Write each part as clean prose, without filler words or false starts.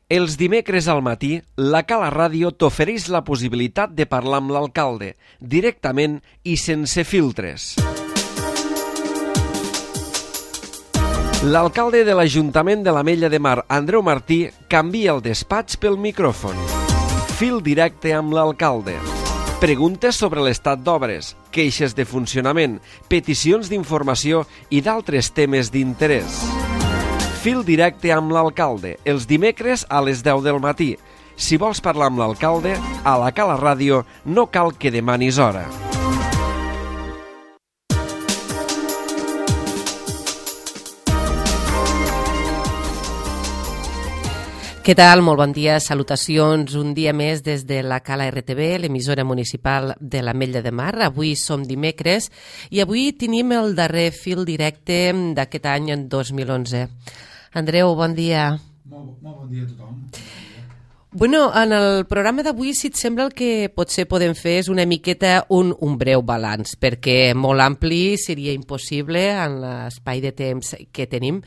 Els dimecres al matí, la Cala Ràdio t'ofereix la possibilitat de parlar amb l'alcalde, directament i sense filtres. L'alcalde de l'Ajuntament de l'Ametlla de Mar, Andreu Martí, canvia el despatx pel micròfon. Fil directe amb l'alcalde. Preguntes sobre l'estat d'obres, queixes de funcionament, peticions d'informació i d'altres temes d'interès. Fil directe amb l'alcalde, els dimecres a les 10 del matí. Si vols parlar amb l'alcalde, a la Cala Ràdio no cal que demanis hora. Què tal? Molt bon dia, salutacions. Un dia més des de la Cala RTV, l'emissora municipal de l'Ametlla de Mar. Avui som dimecres i avui tenim el darrer fil directe d'aquest any, en 2011. Andreu, bon dia. Molt bon dia a tothom. Bueno, en el programa d'avui, si et sembla, el que potser podem fer és una miqueta un breu balanç, perquè molt ampli seria impossible en l'espai de temps que tenim.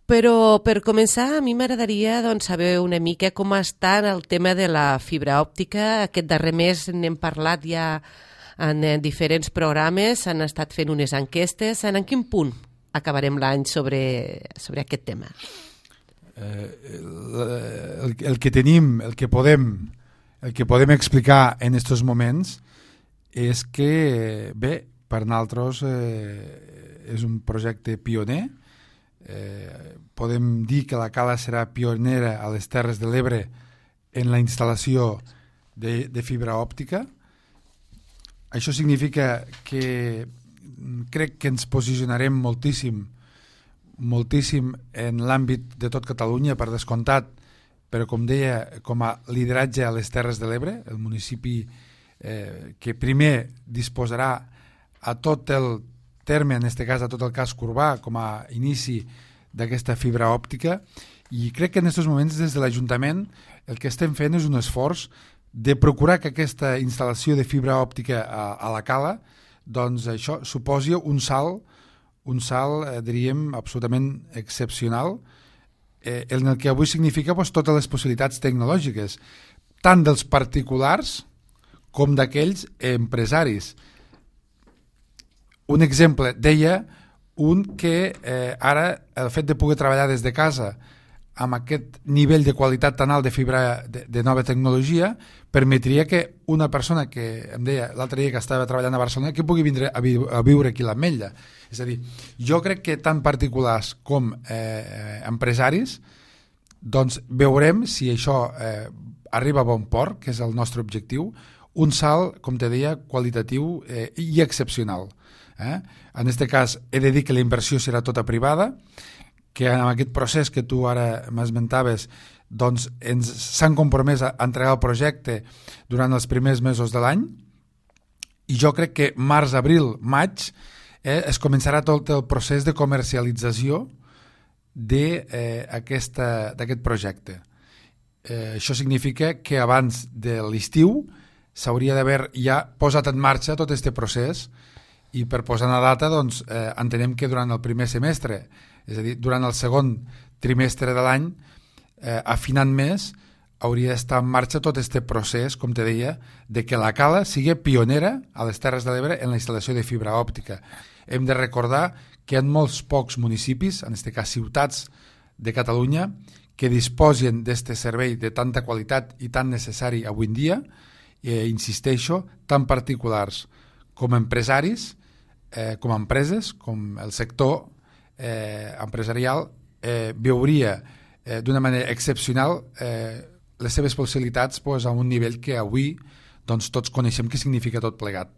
Però per començar, a mi m'agradaria saber una mica com està el tema de la fibra òptica. Aquest darrer mes n'hem parlat ja en diferents programes, han estat fent unes enquestes. En quin punt acabarem l'any sobre aquest tema? El que tenim, el que podem explicar en aquests moments és que, bé, per nosaltres és un projecte pioner. Podem dir que la Cala serà pionera a les Terres de l'Ebre en la instal·lació de fibra òptica. Això significa que crec que ens posicionarem moltíssim en l'àmbit de tot Catalunya, per descomptat, però com deia, com a lideratge a les Terres de l'Ebre, el municipi que primer disposarà a tot el terme, en aquest cas a tot el casc urbà, com a inici d'aquesta fibra òptica, i crec que en aquests moments des de l'Ajuntament el que estem fent és un esforç de procurar que aquesta instal·lació de fibra òptica a la Cala, doncs això suposi un salt, diríem, absolutament excepcional, en el que avui significa totes les possibilitats tecnològiques, tant dels particulars com d'aquells empresaris. Un exemple, deia un que ara el fet de poder treballar des de casa amb aquest nivell de qualitat tan alt de fibra de nova tecnologia permetria que una persona que em deia l'altre dia que estava treballant a Barcelona que pugui vindre a viure aquí a l'Ametlla. És a dir, jo crec que tant particulars com empresaris doncs veurem si això arriba a bon port, que és el nostre objectiu, un salt, com te deia, qualitatiu i excepcional. En aquest cas he de dir que la inversió serà tota privada, que en aquest procés que tu ara m'esmentaves doncs s'han compromès a entregar el projecte durant els primers mesos de l'any, i jo crec que març, abril, maig es començarà tot el procés de comercialització d'aquest projecte. Això significa que abans de l'estiu s'hauria d'haver ja posat en marxa tot aquest procés, i per posar una data doncs, entenem que durant el primer semestre, és a dir, durant el segon trimestre de l'any, afinant més, hauria d'estar en marxa tot aquest procés, com te deia, de que la Cala sigui pionera a les Terres de l'Ebre en la instal·lació de fibra òptica. Hem de recordar que hi ha molts pocs municipis, en aquest cas ciutats de Catalunya, que disposen d'aquest servei de tanta qualitat i tan necessari avui en dia, insisteixo, tant particulars com empresaris, com empreses, com el sector empresarial, veuria d'una manera excepcional les seves possibilitats a un nivell que avui tots coneixem què significa tot plegat.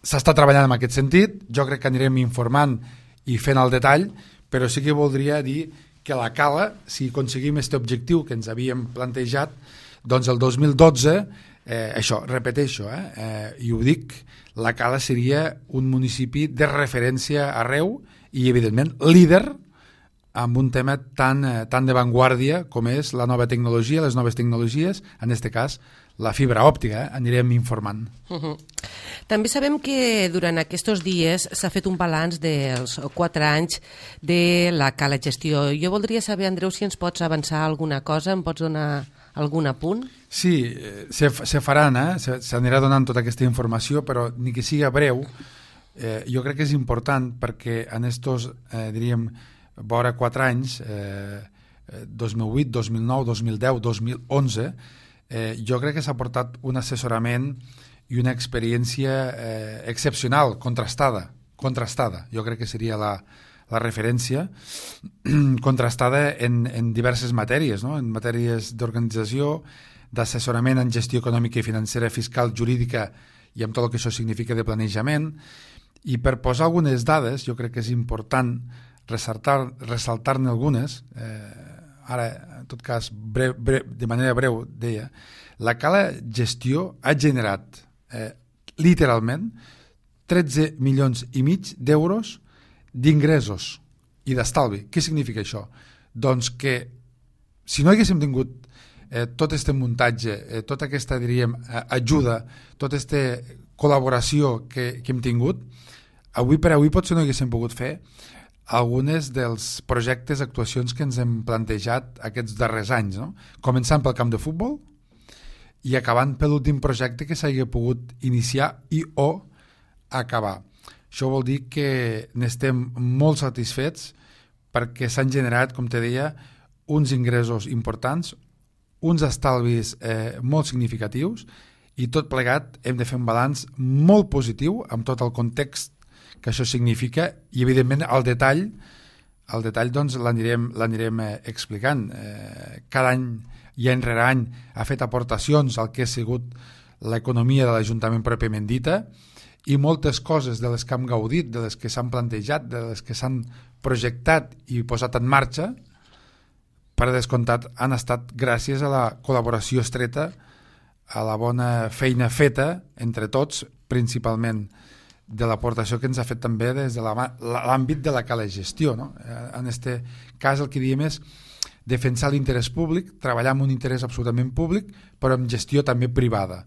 S'està treballant en aquest sentit, jo crec que anirem informant i fent el detall, però sí que voldria dir que la Cala, si aconseguim aquest objectiu que ens havíem plantejat, doncs el 2012, això, repeteixo, i ho dic, la Cala seria un municipi de referència arreu i, evidentment, líder amb un tema tan de vanguardia com és la nova tecnologia, les noves tecnologies, en aquest cas la fibra òptica, anirem informant. També sabem que durant aquests dies s'ha fet un balanç dels 4 anys de la Cala Gestió. Jo voldria saber, Andreu, si ens pots avançar alguna cosa, em pots donar algun apunt? Sí, se faran, s'anirà donant tota aquesta informació, però ni que siga breu, jo crec que és important perquè en estos, diríem, vora 4 anys, 2008, 2009, 2010, 2011, jo crec que s'ha portat un assessorament i una experiència excepcional, contrastada, jo crec que seria la referència, contrastada en diverses matèries, no? En matèries d'organització, d'assessorament en gestió econòmica i financera, fiscal, jurídica i amb tot el que això significa de planejament. I per posar algunes dades, jo crec que és important ressaltar-ne algunes, ara, en tot cas, de manera breu, deia, la Cala Gestió ha generat literalment 13 milions i mig d'euros d'ingressos i d'estalvi. Què significa això? Doncs que si no haguéssim tingut tot aquest muntatge, tota aquesta, diríem, ajuda, tota aquesta col·laboració que hem tingut, avui per avui potser no haguéssim pogut fer algunes dels projectes, actuacions que ens hem plantejat aquests darrers anys, no? Començant pel camp de futbol i acabant per l'últim projecte que s'hagi pogut iniciar i o acabar. Això vol dir que n'estem molt satisfets perquè s'han generat, com te deia, uns ingressos importants, uns estalvis molt significatius i tot plegat hem de fer un balanç molt positiu amb tot el context que això significa i evidentment el detall doncs l'anirem explicant. Cada any i any rere any ha fet aportacions al que ha sigut l'economia de l'Ajuntament pròpiament dita i moltes coses de les que hem gaudit, de les que s'han plantejat, de les que s'han projectat i posat en marxa, per descomptat han estat gràcies a la col·laboració estreta, a la bona feina feta entre tots, principalment de l'aportació que ens ha fet també des de l'àmbit de la Cala Gestió, no? En aquest cas el que diem és defensar l'interès públic, treballar amb un interès absolutament públic, però amb gestió també privada.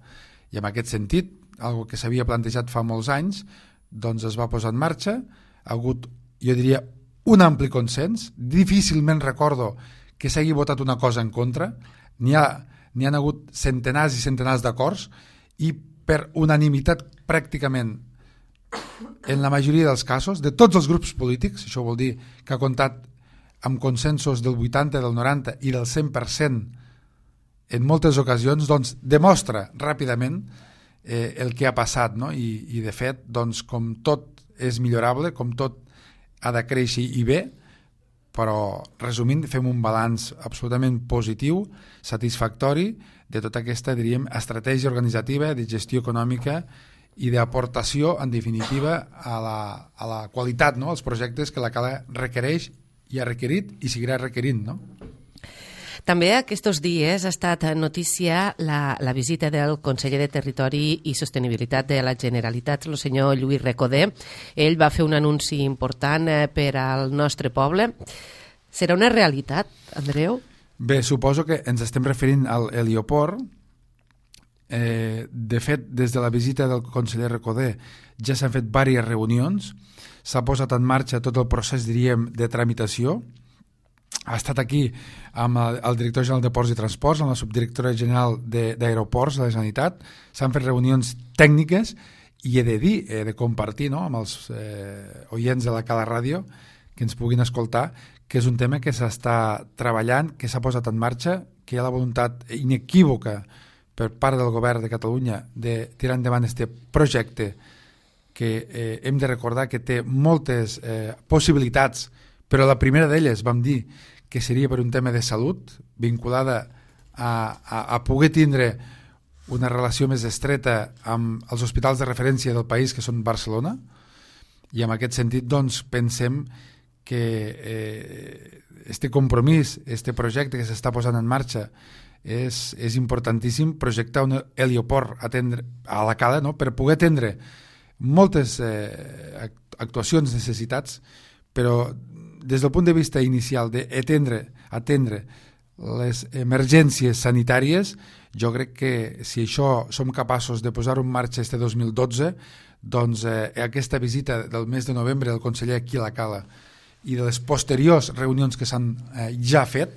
I en aquest sentit, algo que s'havia plantejat fa molts anys, doncs es va posar en marxa, ha hagut, jo diria, un ampli consens, difícilment recordo que s'hagi votat una cosa en contra, n'hi han hagut centenars i centenars d'acords i per unanimitat pràcticament en la majoria dels casos, de tots els grups polítics, això vol dir que ha comptat amb consensos del 80, del 90 i del 100% en moltes ocasions, doncs demostra ràpidament el que ha passat, no? I de fet, doncs, com tot és millorable, com tot ha de créixer i bé, però resumint fem un balanç absolutament positiu, satisfactori de tota aquesta, diríem, estratègia organitzativa, de gestió econòmica i d'aportació, en definitiva, a la qualitat, no? Els projectes que la Cala requereix i ha requerit i seguirà requerint, no? També aquests dies ha estat notícia la visita del conseller de Territori i Sostenibilitat de la Generalitat, el senyor Lluís Recoder. Ell va fer un anunci important per al nostre poble. Serà una realitat, Andreu? Bé, suposo que ens estem referint al helioport. De fet, des de la visita del conseller Recoder ja s'han fet diverses reunions, s'ha posat en marxa tot el procés, diríem, de tramitació. Ha estat aquí amb el director general de Ports i Transports, amb la subdirectora general d'Aeroports de la Generalitat. S'han fet reunions tècniques i he de dir, he de compartir, no?, amb els oients de la Cala Ràdio que ens puguin escoltar, que és un tema que s'està treballant, que s'ha posat en marxa, que hi ha la voluntat inequívoca per part del govern de Catalunya de tirar endavant aquest projecte que hem de recordar que té moltes possibilitats, però la primera d'elles vam dir que seria per un tema de salut, vinculada a poder tindre una relació més estreta amb els hospitals de referència del país, que són Barcelona, i en aquest sentit doncs, pensem que este compromís, este projecte que s'està posant en marxa és importantíssim, projectar un helioport a la Cala, no?, per poder atendre moltes actuacions, necessitats, però des del punt de vista inicial d'atendre les emergències sanitàries, jo crec que si això som capaços de posar-ho en marxa este 2012, doncs aquesta visita del mes de novembre del conseller aquí a la Cala i de les posteriors reunions que s'han ja fet,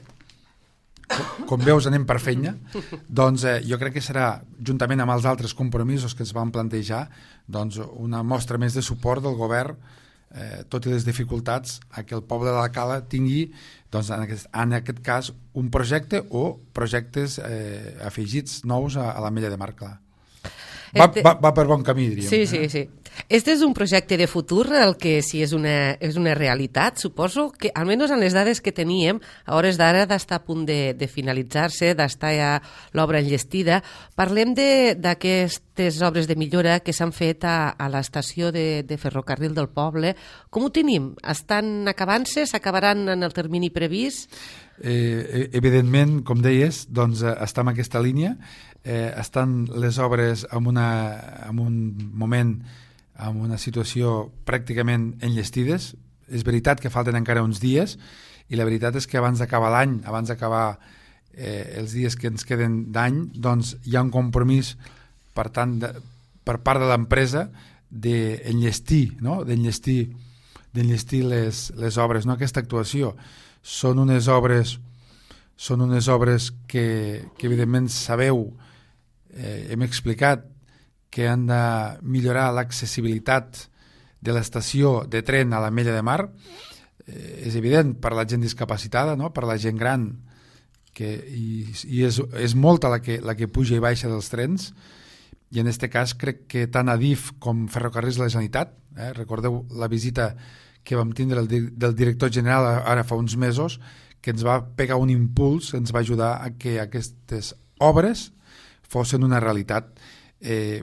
com veus anem per feina, doncs jo crec que serà, juntament amb els altres compromisos que es van plantejar, doncs una mostra més de suport del govern, tot i les dificultats, a que el poble de la Cala tingui, doncs, en aquest cas, un projecte o projectes afegits nous a l'Ametlla de Mar, clar. Va per bon camí, diríem. Sí. Este és un projecte de futur, el que si és una realitat, suposo que, almenys en les dades que teníem, a hores d'ara d'estar a punt de finalitzar-se, d'estar ja l'obra enllestida. Parlem d'aquestes obres de millora que s'han fet a l'estació de ferrocarril del poble. Com ho tenim? Estan acabant-se? S'acabaran en el termini previst? Evidentment, com deies, doncs està en aquesta línia. Estan les obres en un moment, en una situació pràcticament enllestides. És veritat que falten encara uns dies i la veritat és que abans d'acabar l'any, abans d'acabar els dies que ens queden d'any, doncs hi ha un compromís per tant per part de l'empresa d'enllestir, no? d'enllestir les obres, no? Aquesta actuació són unes obres que evidentment sabeu, hem explicat que han de millorar l'accessibilitat de l'estació de tren a l'Ametlla de Mar. És evident per la gent discapacitada, no? Per la gent gran, i és molta la que puja i baixa dels trens, i en aquest cas crec que tant Adif com Ferrocarrils de la Generalitat, recordeu la visita que vam tindre del director general ara fa uns mesos, que ens va pegar un impuls, ens va ajudar a que aquestes obres fossin una realitat.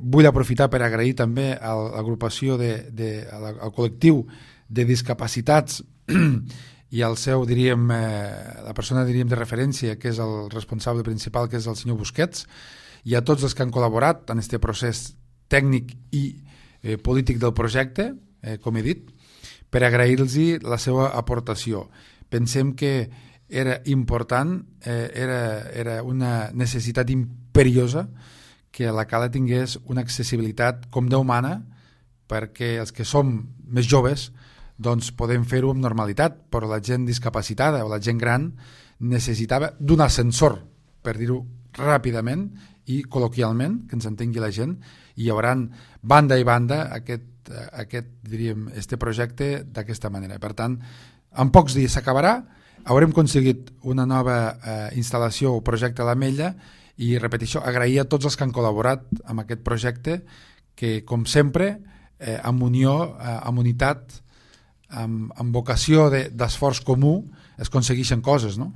Vull aprofitar per agrair també a l'agrupació, al col·lectiu de discapacitats i al seu, diríem, la persona de referència, que és el responsable principal, que és el senyor Busquets, i a tots els que han col·laborat en aquest procés tècnic i polític del projecte, com he dit, per agrair-los la seva aportació. Pensem que era important, era una necessitat imperiosa que la Cala tingués una accessibilitat com Déu mana, perquè els que som més joves doncs podem fer-ho amb normalitat, però la gent discapacitada o la gent gran necessitava d'un ascensor, per dir-ho ràpidament i col·loquialment, que ens entengui la gent, i hi haurà banda i banda diríem, este projecte d'aquesta manera. Per tant, en pocs dies s'acabarà, haurem aconseguit una nova instal·lació o projecte a l'Ametlla i, repeteixo, agrair a tots els que han col·laborat amb aquest projecte que, com sempre, amb unió, amb unitat, amb vocació d'esforç comú, es aconsegueixen coses, no?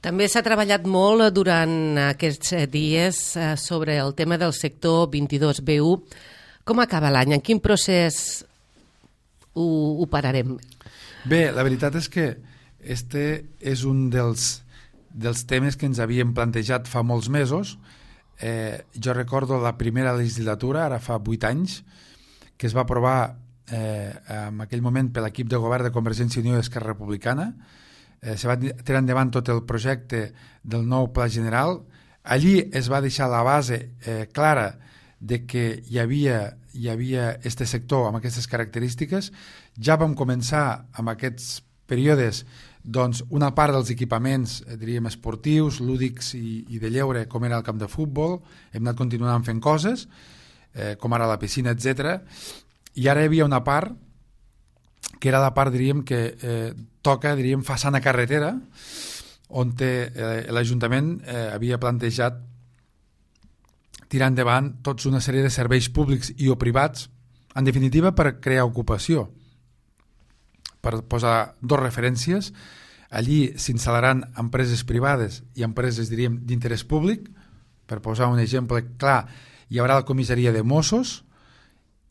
També s'ha treballat molt durant aquests dies sobre el tema del sector 22B1. Com acaba l'any? En quin procés ho pararem? Bé, la veritat és que este és un dels temes que ens havíem plantejat fa molts mesos. Jo recordo la primera legislatura, ara fa 8 anys, que es va aprovar en aquell moment per l'equip de govern de Convergència i Unió i Esquerra Republicana. Se va tirar endavant tot el projecte del nou Pla General. Allí es va deixar la base clara de que hi havia este sector amb aquestes característiques. Ja vam començar amb aquests períodes doncs, una part dels equipaments, diríem, esportius, lúdics i de lleure, com era el camp de futbol. Hem anat continuant fent coses, com ara la piscina, etc. I ara hi havia una part que era la part, diríem, que toca, diríem, façana carretera, on l'Ajuntament havia plantejat tirar endavant tots una sèrie de serveis públics i o privats, en definitiva per crear ocupació. Per posar dos referències, allí s'instal·laran empreses privades i empreses, diríem, d'interès públic. Per posar un exemple clar, hi haurà la comissaria de Mossos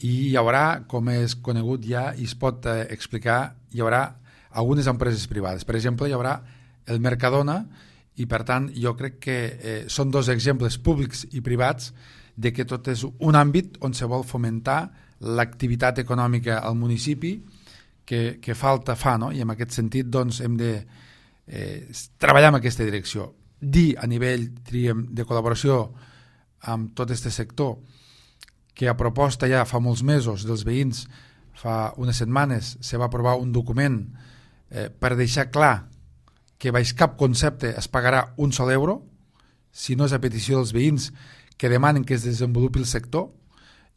i hi haurà, com és conegut ja i es pot explicar, hi haurà algunes empreses privades. Per exemple, hi haurà el Mercadona i, per tant, jo crec que són dos exemples públics i privats de que tot és un àmbit on se vol fomentar l'activitat econòmica al municipi que falta fa, no? I en aquest sentit doncs, hem treballar en aquesta direcció. Dir a nivell, diríem, de col·laboració amb tot aquest sector que a proposta ja fa molts mesos dels veïns, fa unes setmanes, se va aprovar un document per deixar clar que baix cap concepte es pagarà un sol euro, si no és a petició dels veïns que demanen que es desenvolupi el sector.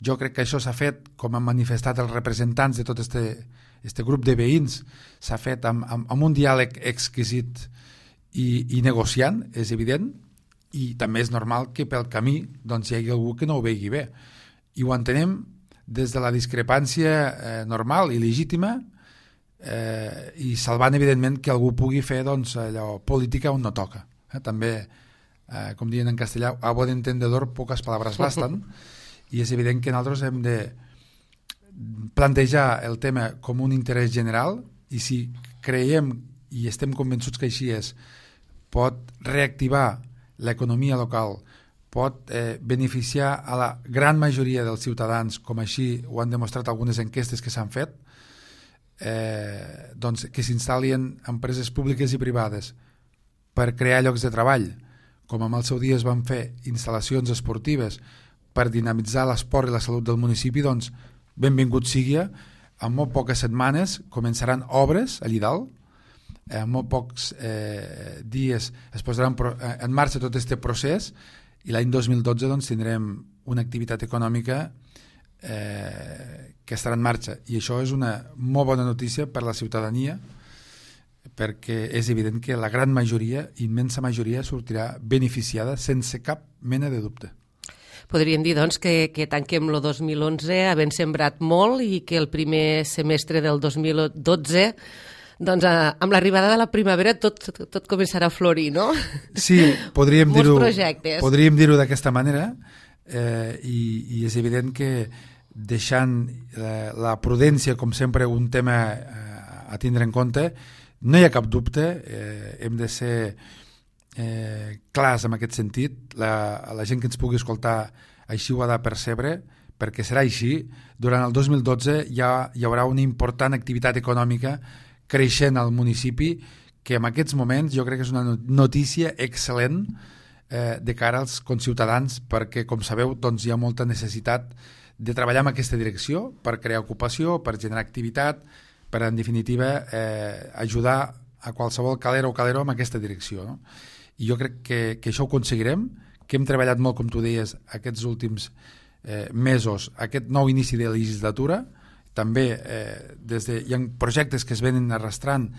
Jo crec que això s'ha fet, com han manifestat els representants de tot este grup de veïns, s'ha fet amb un diàleg exquisit i negociant, és evident, i també és normal que pel camí doncs, hi hagi algú que no ho vegi bé. I ho entenem des de la discrepància normal i legítima, i salvant evidentment que algú pugui fer doncs, allò, política on no toca. També, com diuen en castellà, a bon entendedor poques paraules basten, i és evident que nosaltres hem de plantejar el tema com un interès general, i si creiem i estem convençuts que així és, pot reactivar l'economia local, pot beneficiar a la gran majoria dels ciutadans, com així ho han demostrat algunes enquestes que s'han fet, doncs que s'instal·lin empreses públiques i privades per crear llocs de treball, com en el seu dia es van fer instal·lacions esportives per dinamitzar l'esport i la salut del municipi, doncs benvingut sigui. En molt poques setmanes començaran obres allí dalt, en molt pocs dies es posaran en marxa tot aquest procés, i l'any 2012 doncs, tindrem una activitat econòmica que estarà en marxa, i això és una molt bona notícia per la ciutadania, perquè és evident que la gran majoria, immensa majoria, sortirà beneficiada sense cap mena de dubte. Podríem dir doncs, que tanquem el 2011 havent sembrat molt i que el primer semestre del 2012 doncs, amb l'arribada de la primavera tot començarà a florir, no? Sí, podríem dir-ho d'aquesta manera, i és evident que deixant la prudència com sempre un tema a tindre en compte, no hi ha cap dubte, hem de ser clars en aquest sentit. La gent que ens pugui escoltar així ho ha de percebre, perquè serà així. Durant el 2012 hi haurà una important activitat econòmica creixent al municipi, que en aquests moments jo crec que és una notícia excel·lent de cara als conciutadans, perquè com sabeu doncs, hi ha molta necessitat de treballar en aquesta direcció per crear ocupació, per generar activitat, per en definitiva ajudar a qualsevol calera o calero en aquesta direcció, no? I jo crec que això ho aconseguirem, que hem treballat molt, com tu deies, aquests últims mesos, aquest nou inici de legislatura. També hi ha projectes que es venen arrastrant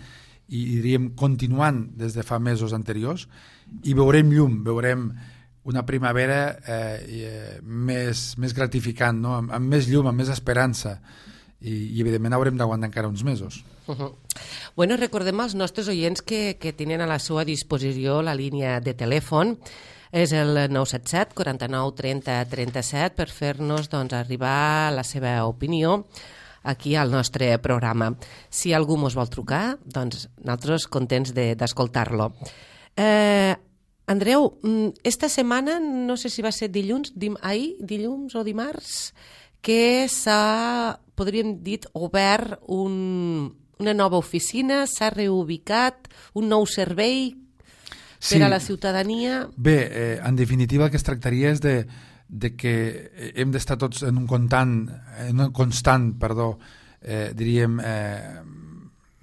i diríem continuant des de fa mesos anteriors, i veurem llum, veurem una primavera més gratificant, no? Amb més llum, amb més esperança, i evidentment haurem d'aguantar encara uns mesos. Bueno, recordem als nostres oients que tenen a la seva disposició la línia de telèfon, és el 977 49 30 37, per fer-nos doncs, arribar la seva opinió aquí al nostre programa. Si algú mos vol trucar, doncs nosaltres contents d'escoltar-lo. Andreu, esta setmana, no sé si va ser dilluns o dimarts, que s'ha, podríem dir, obert una nova oficina, s'ha reubicat, un nou servei per a la ciutadania. Bé, en definitiva el que es tractaria és de que hem d'estar tots en un constant, diríem,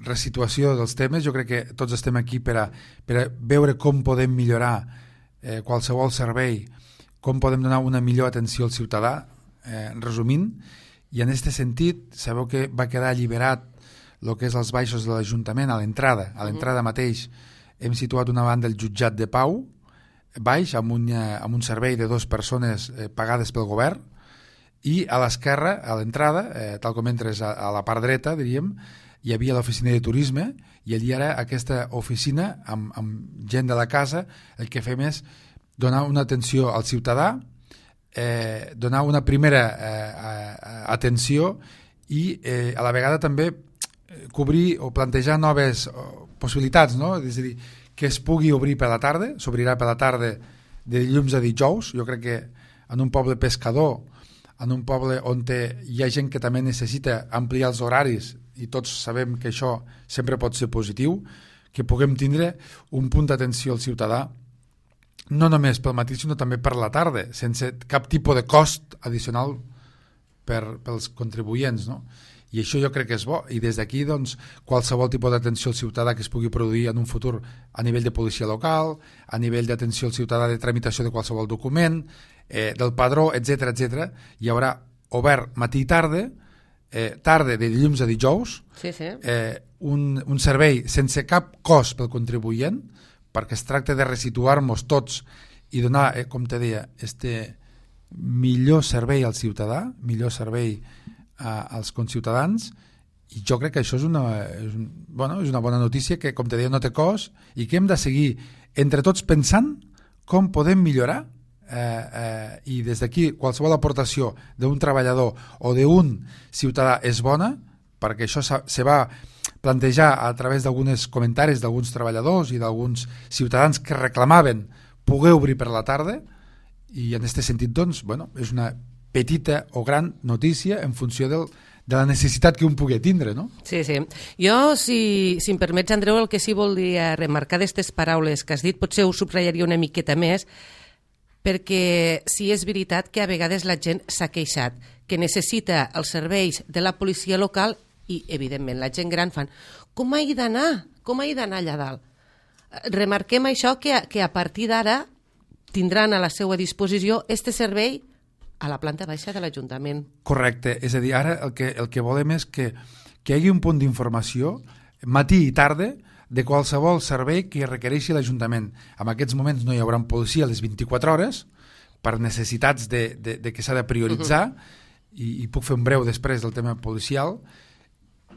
resituació dels temes. Jo crec que tots estem aquí per a veure com podem millorar qualsevol servei, com podem donar una millor atenció al ciutadà, resumint, i en aquest sentit sabeu que va quedar alliberat el que és els baixos de l'Ajuntament a l'entrada mateix hem situat una banda el jutjat de Pau baix amb un servei de 2 persones pagades pel govern, i a l'esquerra, a l'entrada, tal com entres a la part dreta, diríem, hi havia l'oficina de turisme, i allí ara aquesta oficina amb gent de la casa el que fem és donar una atenció al ciutadà, donar una primera atenció i a la vegada també cobrir o plantejar noves possibilitats, no? És a dir, que es pugui obrir per la tarda, s'obrirà per la tarda de dilluns a dijous. Jo crec que en un poble pescador, en un poble on hi ha gent que també necessita ampliar els horaris, i tots sabem que això sempre pot ser positiu, que puguem tindre un punt d'atenció al ciutadà no només pel matí, sinó també per la tarda, sense cap tipus de cost addicional pels contribuents, no? I això jo crec que és bo, i des d'aquí doncs, qualsevol tipus d'atenció al ciutadà que es pugui produir en un futur a nivell de policia local, a nivell d'atenció al ciutadà de tramitació de qualsevol document, del padró, etc, hi haurà obert matí i tarda, tarda de dilluns a dijous, un servei sense cap cost pel contribuent, perquè es tracta de resituar-nos tots i donar, com te deia, millor servei al ciutadà, millor servei als conciutadans, i jo crec que això és una bona notícia que, com te deia, no té cost i que hem de seguir entre tots pensant com podem millorar, i des d'aquí qualsevol aportació d'un treballador o d'un ciutadà és bona, perquè això se va plantejar a través d'alguns comentaris d'alguns treballadors i d'alguns ciutadans que reclamaven poder obrir per la tarda, i en aquest sentit doncs, és una petita o gran notícia en funció de la necessitat que un pugui tindre, no? Sí. Jo, si em permets, Andreu, el que sí voldria remarcar d'aquestes paraules que has dit, potser ho subratllaria una miqueta més, perquè sí és veritat que a vegades la gent s'ha queixat, que necessita els serveis de la policia local i, evidentment, la gent gran fan com he d'anar allà dalt? Remarquem això, que a partir d'ara tindran a la seva disposició este servei a la planta baixa de l'Ajuntament. Correcte, és a dir, ara el que volem és que hi hagi un punt d'informació matí i tarda de qualsevol servei que requereixi l'Ajuntament. En aquests moments no hi haurà policia a les 24 hores per necessitats de que s'ha de prioritzar, i puc fer un breu després del tema policial,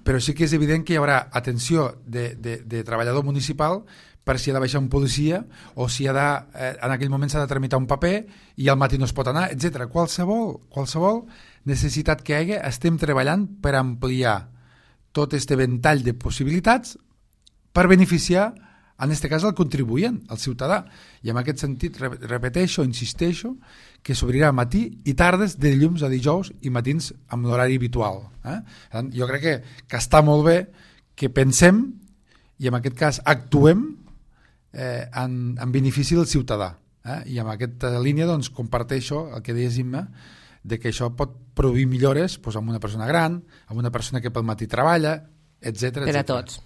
però sí que és evident que hi haurà atenció de treballador municipal per si ha de baixar un policia o si en aquell moment s'ha de tramitar un paper i al matí no es pot anar, etc. Qualsevol necessitat que hi hagi, estem treballant per ampliar tot aquest ventall de possibilitats per beneficiar, en aquest cas, el contribuent, el ciutadà. I en aquest sentit, repeteixo, insisteixo, que s'obrirà matí i tardes de dilluns a dijous i matins amb l'horari habitual. Jo crec que està molt bé que pensem i en aquest cas actuem en benefici del ciutadà. I en aquesta línia doncs, comparteixo el que deies, Imma, de que això pot produir millores amb una persona gran, amb una persona que pel matí treballa, etc. Per a tots.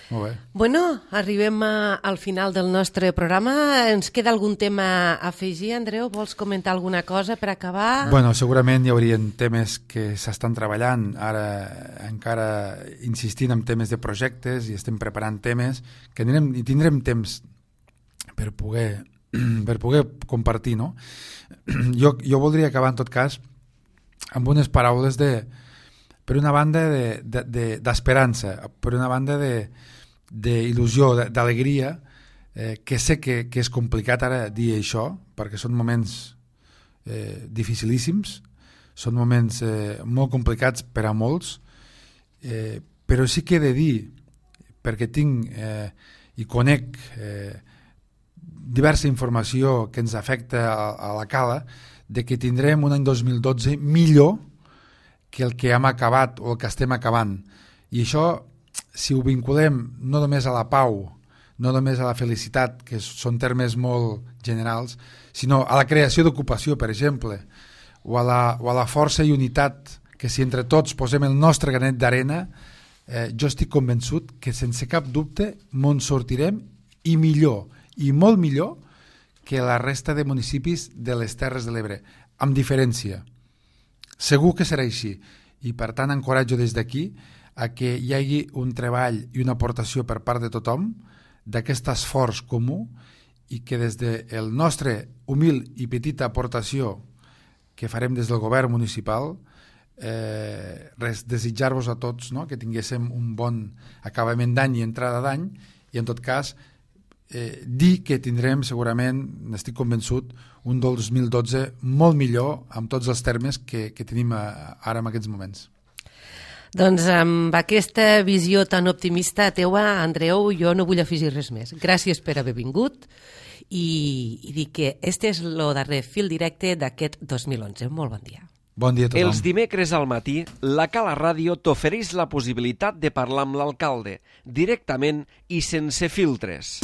Molt bé. Bueno, arribem al final del nostre programa. Ens queda algun tema a afegir, Andreu? Vols comentar alguna cosa per acabar? Bueno, segurament hi haurien temes que s'estan treballant, ara encara insistint en temes de projectes i estem preparant temes que tindrem temps per poder compartir, no? Jo voldria acabar, en tot cas, amb unes paraules per una banda d'esperança, per una banda d'il·lusió, d'alegria, que sé que és complicat ara dir això, perquè són moments dificilíssims, són moments molt complicats per a molts, però sí que he de dir, perquè tinc i conec diversa informació que ens afecta a la cala, de que tindrem un any 2012 millor que el que hem acabat o el que estem acabant. I això, si ho vinculem no només a la pau, no només a la felicitat, que són termes molt generals, sinó a la creació d'ocupació, per exemple, o a la força i unitat, que si entre tots posem el nostre granet d'arena, jo estic convençut que sense cap dubte me'n sortirem i millor, i molt millor que la resta de municipis de les Terres de l'Ebre, amb diferència. Segur que serà així, i per tant encoratjo des d'aquí a que hi hagi un treball i una aportació per part de tothom d'aquest esforç comú, i que des del nostre humil i petita aportació que farem des del govern municipal, desitjar-vos a tots, no?, que tinguéssim un bon acabament d'any i entrada d'any, i en tot cas dir que tindrem segurament, n'estic convençut, un 2012 molt millor amb tots els termes que tenim ara en aquests moments. Doncs amb aquesta visió tan optimista teua, Andreu, jo no vull afegir res més. Gràcies per haver vingut i dir que este és el darrer fil directe d'aquest 2011. Molt bon dia. Bon dia a tothom. Els dimecres al matí, la Cala Ràdio t'ofereix la possibilitat de parlar amb l'alcalde, directament i sense filtres.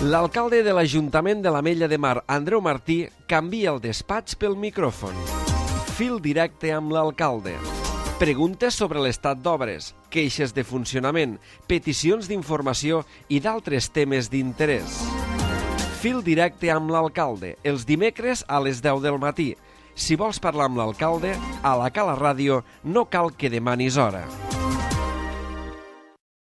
L'alcalde de l'Ajuntament de l'Ametlla de Mar, Andreu Martí, canvia el despatx pel micròfon. Fil directe amb l'alcalde. Preguntes sobre l'estat d'obres, queixes de funcionament, peticions d'informació i d'altres temes d'interès. Fil directe amb l'alcalde, els dimecres a les 10 del matí. Si vols parlar amb l'alcalde, a la Cala Ràdio no cal que demanis hora.